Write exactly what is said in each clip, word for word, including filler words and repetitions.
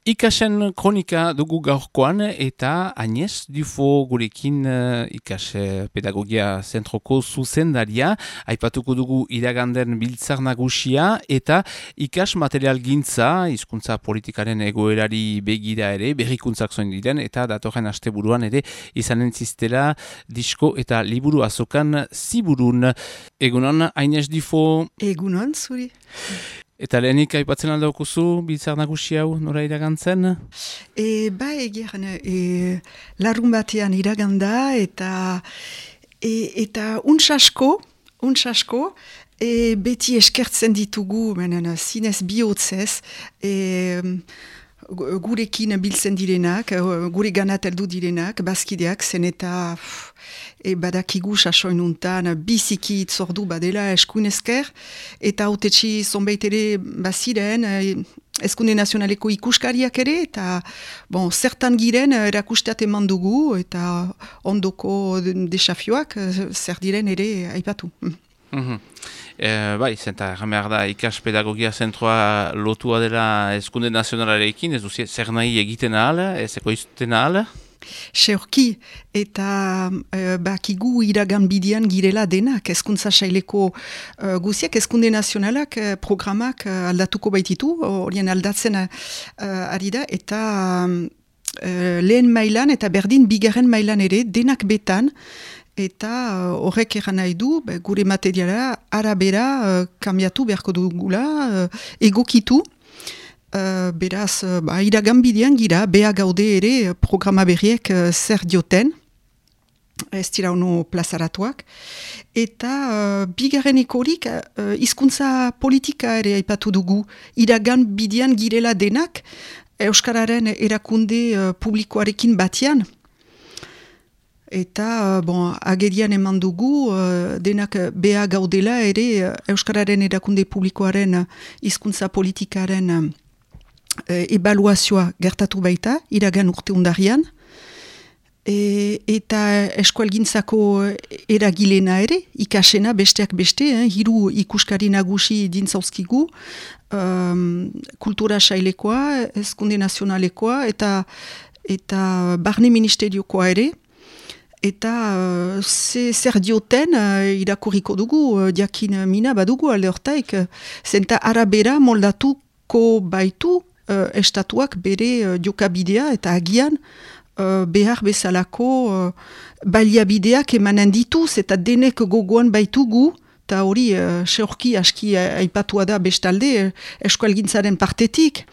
Ikasen kronika dugu gaurkoan eta Agnès Dufo gurekin uh, ikas uh, pedagogia zentroko zuzendaria, aipatuko dugu iraganden biltzar nagusia eta ikas material gintza, hizkuntza politikaren egoerari begira ere, berrikuntzak zoin diren eta datorren asteburuan ere izanen ziztela disko eta liburu azokan ziburun. Egunon, Agnès Dufo. Egunon, zuri. Eta lehenik aipatzen aldaukuzu, biltzar nagusi hau nora iragantzen? E, ba, egeran, e, larun batean iraganda eta e, eta untsasko, untsasko, e, beti eskertzen ditugu, menen, zinez bihotzez, e, gurekin biltzen direnak, gure ganat heldu direnak, bazkideak, zen eta e, badakigu sasoin untan biziki itzordu badela eskuin esker, eta autetxi zonbait ere baziren, e, Eskunde nazionaleko ikuskariak ere, eta bon, zertan giren erakustat eman dugu, eta ondoko desafioak zer diren ere aipatu. Mm-hmm. E, bai, zenta, jamehar da, ikas pedagogia zentroa lotua dela Eskunde nazionalarekin, ez duzi, zer nahi egiten ahal, ez ekoizten ahal? Seorki, eta e, bakigu iragan bidian girela denak, eskuntza saileko e, guziak, eskunde nazionalak e, programak e, aldatuko baititu, horien aldatzen e, ari da, eta e, lehen mailan eta berdin bigarren mailan ere, denak betan, eta horrek eran nahi du, be, gure materiala arabera e, kambiatu beharko dugula, e, egokitu, Uh, beraz, uh, ba, iragan bidean gira, beha gaude ere programa berriek uh, zer dioten, ez dira ono plazaratuak, eta uh, bigarreneko horik uh, hizkuntza politika ere aipatu dugu, iragan bidean girela denak, Euskararen erakunde uh, publikoarekin batian, eta uh, bon, agerian eman dugu, uh, denak beha gaudela ere uh, Euskararen erakunde publikoaren hizkuntza uh, politikaren uh, E, ebaluazioa gertatu baita, iragan urte undarian, e, eta eskualgintzako eragilena ere, ikasena besteak beste, eh, hiru ikuskari nagusi dintzauzkigu, um, kultura sailekoa, eskunde nazionalekoa, eta, eta barne ministeriokoa ere, eta uh, ze, zer dioten uh, irakurriko dugu, uh, diakin mina badugu alde hortaik, uh, zenta arabera moldatuko baitu, Uh, estatuak bere uh, jokabidea eta agian uh, behar bezalako uh, baliabideak emanen dituz eta denek gogoan baitugu, eta hori uh, seorki aski aipatua da bestalde uh, eskualgintzaren partetik.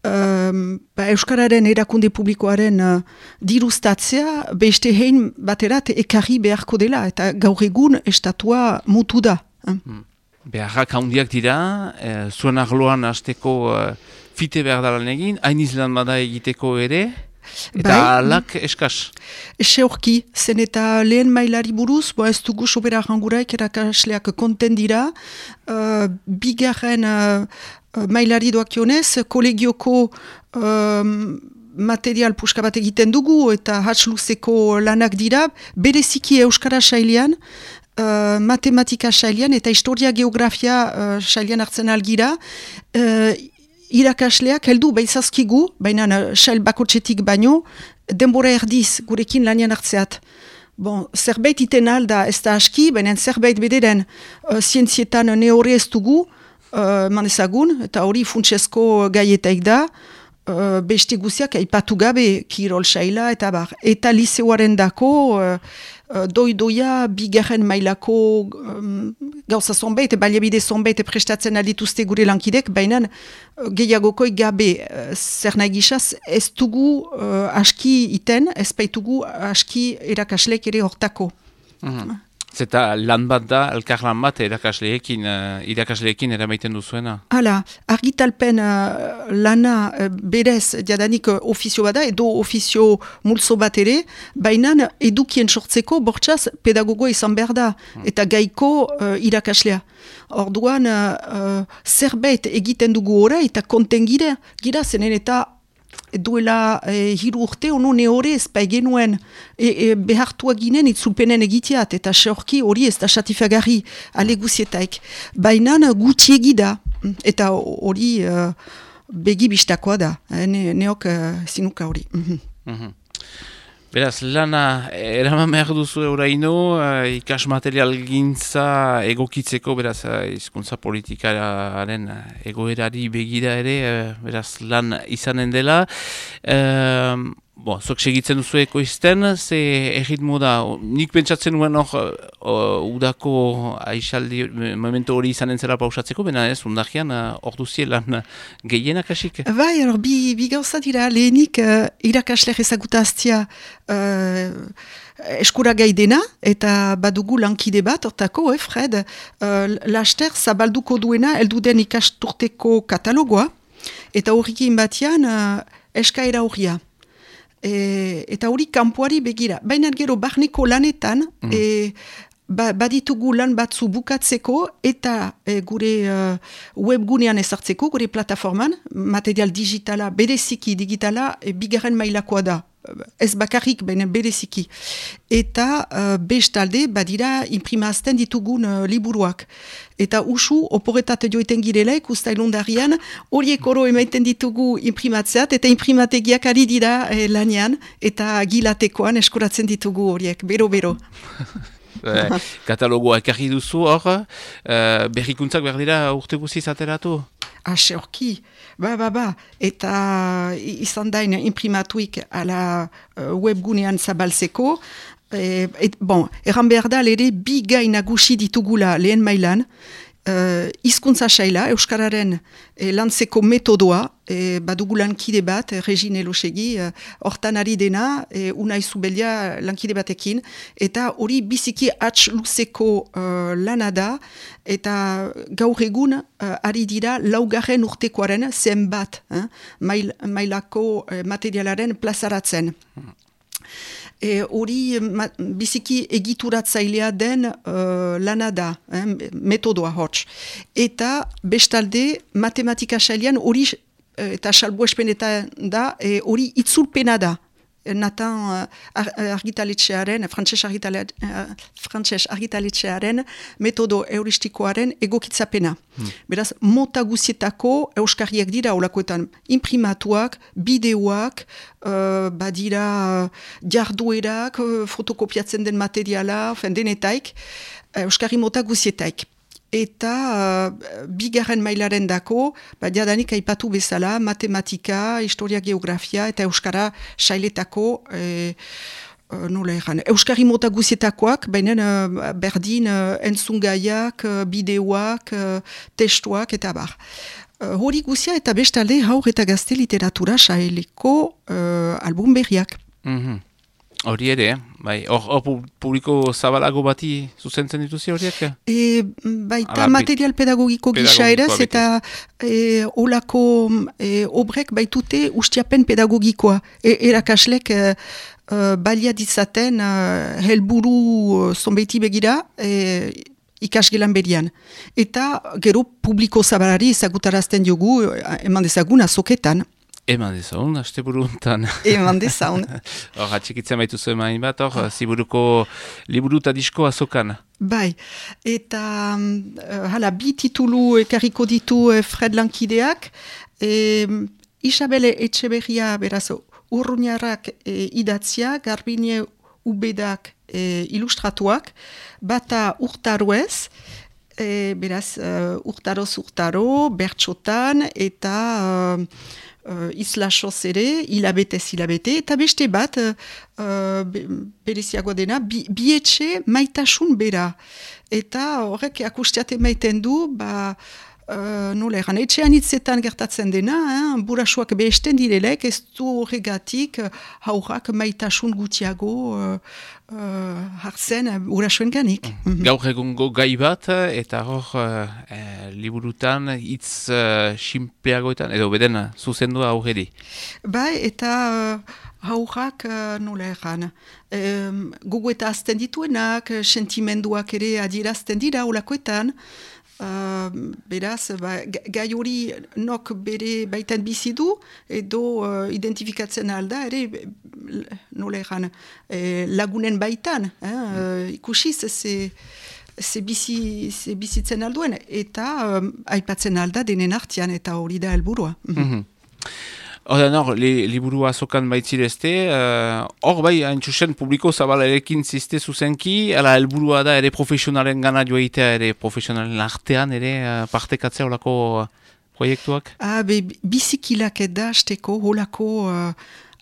Um, ba, Euskararen erakunde publikoaren uh, diruztatzea beste hein baterat ekarri beharko dela eta gaur egun estatua mutu da. Hmm. Beharrak handiak dira, eh, zuen arloan hasteko eh, fite behar dalan egin, hain izlan bada egiteko ere, eta bai, alak eskaz. Ese horki, zen eta lehen mailari buruz, bo ez dugu sobera ranguraik erakasleak konten dira, uh, bigarren uh, mailari doakionez, kolegioko um, material puska bat egiten dugu, eta hatsluzeko lanak dira, bereziki Euskara sailean, Uh, matematika sailean eta historia geografia uh, sailean hartzen algira, uh, irakasleak heldu behizazkigu, baina uh, sail bakotxetik baino, denbora erdiz gurekin lanian hartzeat. Bon, zerbait iten alda ez da aski, baina zerbait bederen uh, zientzietan neore ez dugu, uh, manezagun, eta hori funtsezko gaietaik da, uh, beste guziak aipatu gabe kirol saila, eta bar, eta liseoaren dako, uh, doi-doia bigarren mailako um, gauza zonbait, baliabide zonbait prestatzen aldituzte gure lankidek, baina gehiagokoi gabe uh, zer nahi gizaz, ez dugu uh, aski iten, ez baitugu aski erakaslek ere hortako. Mm-hmm. Zeta lan bat da, elkar lan bat irakasleekin, uh, irakasleekin eramaiten duzuena? Hala, argitalpen uh, lana uh, berez jadanik uh, ofizio bada, edo ofizio multzo bat ere, baina edukien sortzeko bortxaz pedagogo izan behar da, eta gaiko uh, irakaslea. Orduan, uh, uh, zerbait egiten dugu ora, eta konten gira, gira zenen eta duela e, hiru urte ono neore ez genuen e, e, behartua ginen itzulpenen egiteat eta seorki hori ez da satifagarri ale guzietaik. Baina gutxi egida eta hori uh, begi bistakoa da, eh, ne, neok uh, zinuka hori. Mm-hmm. Mm-hmm. Beraz, lana eraman behar duzu euraino, uh, ikas material gintza egokitzeko, beraz, uh, hizkuntza politikaren egoerari begira ere, uh, beraz, lan izanen dela. Uh, Bon, zok segitzen duzu ekoizten, ze erritmo da, nik pentsatzen nuen hor, uh, udako aixaldi, momentu hori izanen zela pausatzeko, bena ez, undakian, hor uh, duzie lan gehienak asik? Bai, hor, bi, bi gauza dira, lehenik uh, irakasler ezagutaztia uh, eskura gai dena, eta badugu lankide bat, hortako, eh, Fred, uh, laster zabalduko duena, elduden ikasturteko katalogoa, eta horrekin batian, uh, eskaera horria. E, eta hori kanpoari begira. Baina gero barneko lanetan, mm. e, ba, baditugu lan batzu bukatzeko eta e, gure uh, webgunean ezartzeko, gure plataforman, material digitala, bereziki digitala, e, bigarren mailakoa da. Ez bakarrik, baina bereziki. Eta uh, bestalde, badira, imprimazten ditugun uh, liburuak. Eta usu, oporetat joiten girela, ikustailundarian, horiek oro emaiten ditugu imprimatzeat, eta imprimategiak ari dira eh, lanian, eta gilatekoan eskuratzen ditugu horiek, bero-bero. Katalogoa ekarri duzu hor, uh, berrikuntzak behar dira urte guziz ateratu? Ase horki, ba, ba, ba, eta izan dain imprimatuik ala uh, webgunean zabaltzeko, e, et, bon, erran behar da, ere bi gai nagusi ditugula lehen mailan, uh, hizkuntza saila, Euskararen e, lantzeko metodoa, e, badugu lankide bat, e, Regine Elosegi, hortan e, ari dena, e, Unai Zubelia lankide batekin, eta hori biziki hatz luzeko uh, lana da, eta gaur egun uh, ari dira laugarren urtekoaren zenbat, eh, mail, mailako uh, materialaren plazaratzen. Hori e, biziki egituratzailea den uh, lana da, eh, metodoa hots. Eta bestalde matematika sailean hori eta salbuespenetan da, hori e, itzulpena da. Natan uh, argitaletxearen, frantses argitalet, uh, argitaletxearen metodo euristikoaren egokitzapena. Hmm. Beraz, mota guzietako euskariak dira olakoetan imprimatuak, bideoak, uh, badira jarduerak, uh, fotokopiatzen den materiala, fen denetaik, uh, euskari mota guzietaik. Eta uh, bigarren mailaren dako, ba, diadanik aipatu bezala, matematika, historia, geografia eta euskara sailetako, e, uh, nola erran, euskari mota guzietakoak, baina uh, berdin uh, entzungaiak, uh, bideoak, uh, testuak eta bar. Uh, hori guzia eta bestalde haur eta gazte literatura saileko uh, album berriak. Mm-hmm. Hori ere, bai, hor publiko zabalago bati zuzentzen dituzi horiek? E, baita Ala, material pedagogiko gisa eraz, eta e, olako e, obrek baitute ustiapen pedagogikoa. E, erakaslek e, e, balia ditzaten e, helburu zonbeiti begira, e, ikasgelan berian. Eta gero publiko zabalari ezagutarazten diogu, eman dezagun azoketan. Eman dezaun, haste buruntan. Eman dezaun. Hor, atxikitzen baitu zuen main bat, hor, ziburuko liburu eta disko azokan. Bai, eta uh, hala, bi titulu ekarriko ditu uh, Fred lankideak. E, Isabel Etxeberria, beraz, urruñarrak e, idatzia, Garbine Ubedak e, ilustratuak, bata urtaruez, e, beraz, uh, urtaroz urtaro, bertxotan, eta... Uh, Uh, islasoz ere, hilabetez hilabete, eta beste bat, uh, be, bereziagoa dena, bi, bietxe maitasun bera. Eta horrek akustiate maiten du, ba, uh, nola eran, etxean hitzetan gertatzen dena, eh, burasuak behesten direlek, ez du horregatik haurrak maitasun gutiago uh, uh, hartzen burasuen ganik. Mm-hmm. Gaur egungo gai bat, eta hor uh, liburutan hitz uh, simpleagoetan, edo beden zuzendua aurreri. Bai, eta uh, haurrak uh, nola eran, um, gogo eta azten dituenak, sentimenduak ere adierazten dira olakoetan, Uh, beraz, ba, gai hori nok bere baitan bizi du, edo uh, identifikatzen alda, ere, nola eran, eh, lagunen baitan, eh, uh, ikusiz, ze ze bizi, ze bizitzen alduen, eta um, aipatzen alda denen artian, eta hori da helburua. Mm-hmm. Hora, nor, li, liburua azokan baitzirezte, hor uh, bai, haintxusen publiko zabalarekin ziste zuzenki, ala helburua da ere profesionalen gana joaitea, ere profesionalen artean, ere uh, partekatzea olako uh, proiektuak? Ah, be, bizikilak eda azteko holako uh,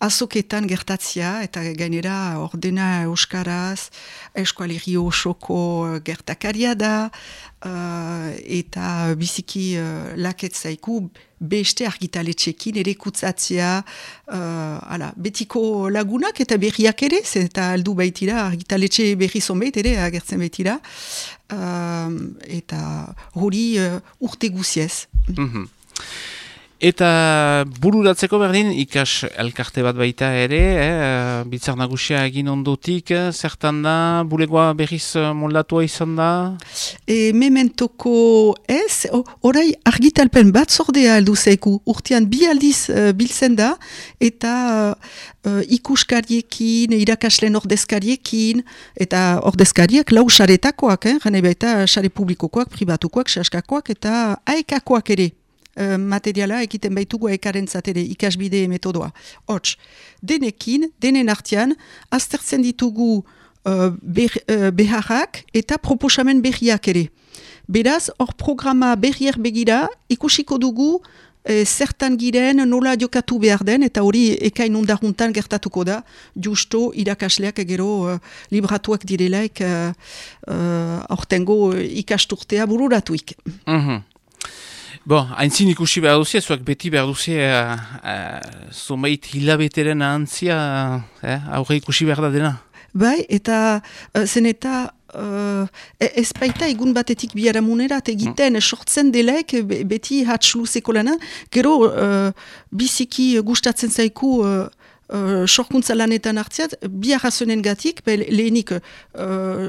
azoketan gertatzia, eta gainera ordena euskaraz, eskualerri osoko gertakaria da, uh, eta biziki uh, laketzaiku beste argitaletxekin ere kutsatzea, uh, ala, betiko lagunak eta berriak ere, eta aldu baitira, argitaletxe berri zonbait ere agertzen baitira, uh, eta hori uh, urte guziez. Mm-hmm. Eta bururatzeko berdin, ikas elkarte bat baita ere, eh, Biltzar Nagusia egin ondotik, zertan da, bulegoa berriz moldatua izan da? E, mementoko ez, orai argitalpen bat zordea aldu zeiku, urtean bi aldiz uh, biltzen da, eta uh, ikuskariekin, irakasleen ordezkariekin, eta ordezkariek lau saretakoak, eh, gane baita sare publikokoak, pribatukoak, saskakoak, eta aekakoak ere. Materiala egiten baitugu ekaren zatere ikasbide metodoa. Hots, denekin, denen artean, aztertzen ditugu uh, ber, uh, beharrak eta proposamen berriak ere. Beraz, hor programa berriak begira, ikusiko dugu eh, zertan giren nola jokatu behar den, eta hori ekain ondaruntan gertatuko da, justo irakasleak gero uh, libratuak direlaik uh, uh, aurtengo ikasturtea bururatuik. Mhm. Bon, haintzin ikusi behar duzia, zuak beti behar duzia uh, uh, zomeit hilabeteren ahantzia uh, aurre ikusi behar da dena. Bai, eta uh, zen eta uh, ez baita egun batetik biharamunerat egiten mm. sortzen delaik be, beti hatxluzeko lana, gero uh, biziki gustatzen zaiku uh, Uh, sorkuntza lanetan hartziat, bi arrazonen gatik, be, lehenik uh,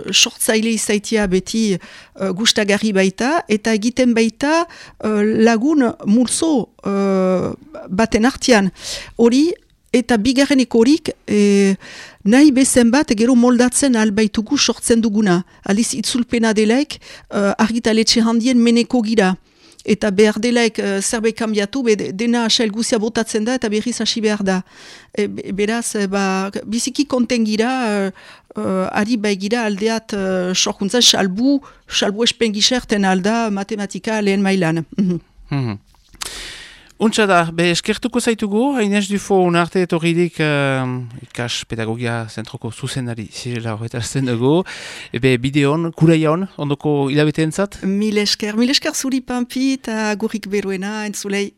sortzaile izaitia beti uh, gustagarri baita, eta egiten baita uh, lagun multzo uh, baten artian. Hori, eta bigarrenik horik, eh, nahi bezen bat, gero moldatzen albaitugu sortzen duguna. Aliz itzulpena delaik, uh, argitaletxe handien meneko gira. Eta behar delaik uh, zerbait kambiatu, be, dena asail guzia botatzen da, eta berriz hasi behar da. E, beraz, e, ba, biziki konten gira, uh, uh, ari bai gira aldeat uh, sorkuntzan, salbu, salbu espengiserten alda matematika lehen mailan. Mm-hmm. Untsa da, be eskertuko zaitugu, Hainez Dufo unarte etorridik uh, ikas pedagogia zentroko zuzendari zirela horretarazten dugu. Ebe bideon, kuraion, ondoko hilabeteen zat? Mil esker, mil esker zuri Pampi eta gurrik beruena entzulei.